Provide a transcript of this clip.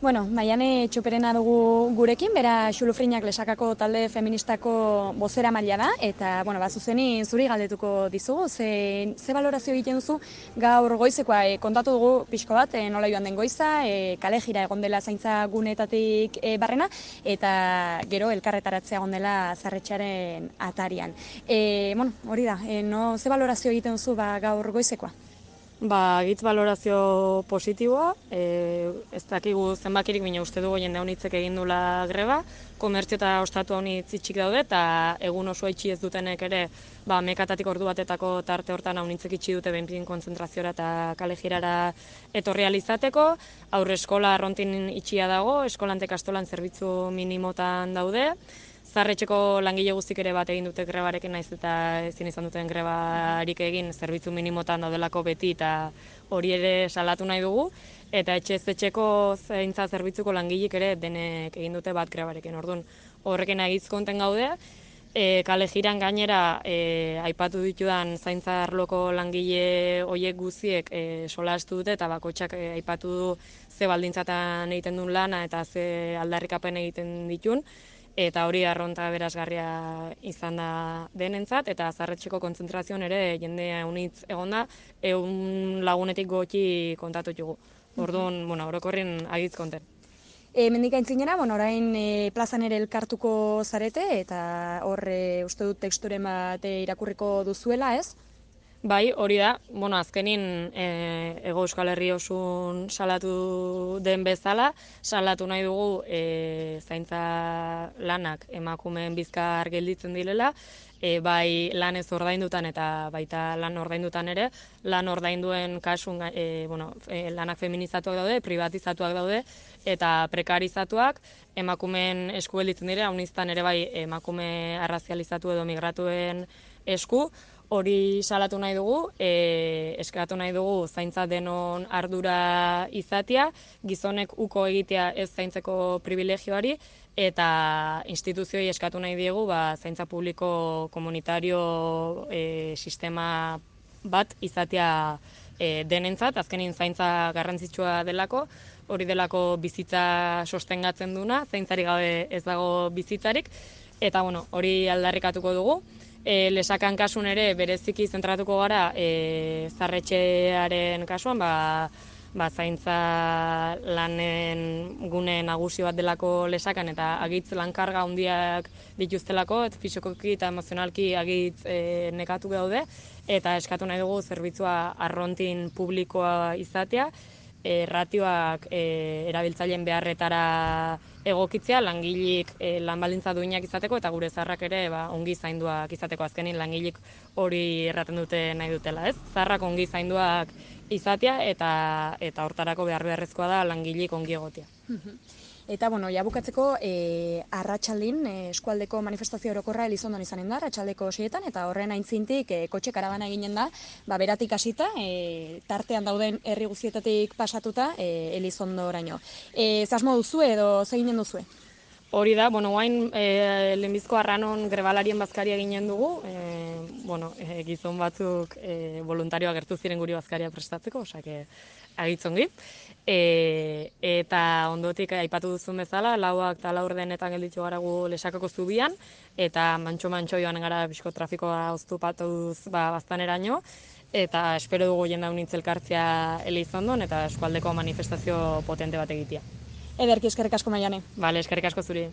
Bueno, Maiane Txoperena dugu gurekin, bera Xulufrinak Lesakako talde feministako bozera maila da, eta, bueno, zuzeni zuri galdetuko dizugu, ze balorazio egiten duzu gaur goizekoa, kontatu dugu pixko bat, nola joan den goiza, kale jira egon dela zaintza gunetatik barrena, eta gero elkarretaratzea egon dela Zarretxearen atarian. Bueno, hori da, ze balorazio egiten duzu gaur goizekoa? Gitz balorazio positiboa, ez dakigu zenbakirik, baina uste dugu jende honitzek egin dula greba, komertzio eta ostatu honitz itxik daude, eta egun oso itxi ez dutenek ere, mekatatik ordu batetako tarte hortan honitzek itxi dute behinpidin kontzentraziora eta kale jirara etorri izateko. Aurre eskola arrontin itxia dago, eskolantek astolan zerbitzu minimotan daude, Zarretxeko langile guztik ere bat egin dute grebarekin, naiz eta ezin izan duten grebarik egin zerbitzu minimotan daudelako beti eta hori ere salatu nahi dugu. Eta etxeko zaintza zerbitzuko langileek ere denek egin dute bat grebarekin. Orduan, horrekin agizkonten gaude. Kale jiran gainera aipatu ditudan zaintza arloko langile horiek guztiek solastu dute eta bakotxak aipatu du ze baldintzatan egiten duen lana eta ze aldarrikapen egiten ditun. Eta hori arronta berazgarria izan da denentzat, eta Zarretxeko kontzentrazioan ere jende unitz egonda, 100 lagunetik goti kontatu dugu. Orduan, orokorren agitz konten. Mendik aintzinera, orain plazan ere elkartuko zarete, eta hor uste dut teksturen bat irakurriko duzuela, ez? Bai, hori da, azkenin Hego Euskal Herri osun salatu den bezala, salatu nahi dugu zaintza lanak emakumeen bizkar gelditzen direla, bai lan ez ordaindutan eta baita lan ordaindutan ere, lan ordainduen kasun lanak feminizatuak daude, privatizatuak daude, eta prekarizatuak emakumeen esku gelditzen dira, uniztan ere bai emakume arrazializatu edo migratuen esku, hori salatu nahi dugu, eskatu nahi dugu zaintza denon ardura izatea, gizonek uko egitea ez zaintzeko privilegioari, eta instituzioi eskatu nahi diegu zaintza publiko komunitario sistema bat izatea denentzat, azkenin zaintza garrantzitsua delako, hori delako bizitza sostengatzen duna, zaintzari gabe ez dago bizitzarik, eta hori aldarrikatuko dugu. Lesakan kasun ere bereziki zentratuko gara Zarretxearen kasuan, zaintza lanen gune nagusi bat delako Lesakan eta agitz lankarga handiak dituztelako, eta fisikoki eta emozionalki agitz nekatu daude, eta eskatu nahi dugu zerbitzua arrontin publikoa izatea, ratioak erabiltzaileen beharretara egokitzea, langileek lan baldintza duinak izateko eta gure zaharrak ere ongi zainduak izateko. Azkenin langileek hori erraten dute nahi dutela, ez? Zaharrak ongi zainduak izatea eta hortarako beharrezkoa da langileek ongi egotea. Eta, ja bukatzeko, arratsaldin eskualdeko manifestazio orokorra Elizondon izanen da, arratsaldeko 6etan, eta horren aintzintik kotxe karabana eginen da, beratik hasita, tartean dauden herri guztietatik pasatuta Elizondoraino. Zasmo duzu edo ze eginen duzue? Hori da, guain lehenbizko arranon grebalarien bazkaria ginen dugu, gizon batzuk voluntarioak gertu ziren guri bazkaria prestatzeko, osake agitzongi. Eta ondotik aipatu duzun bezala, 4 eta 4:00 gelditu gara gu Lesakako zubian, eta mantxo joan gara bizko trafikoa oztopatuz baztaneraino, eta espero dugu jende unitz elkartzea Elizondon, eta eskualdeko manifestazio potente bat egitea. Ederki, eskerrik asko Maiane. Bale, eskerrik asko zuri.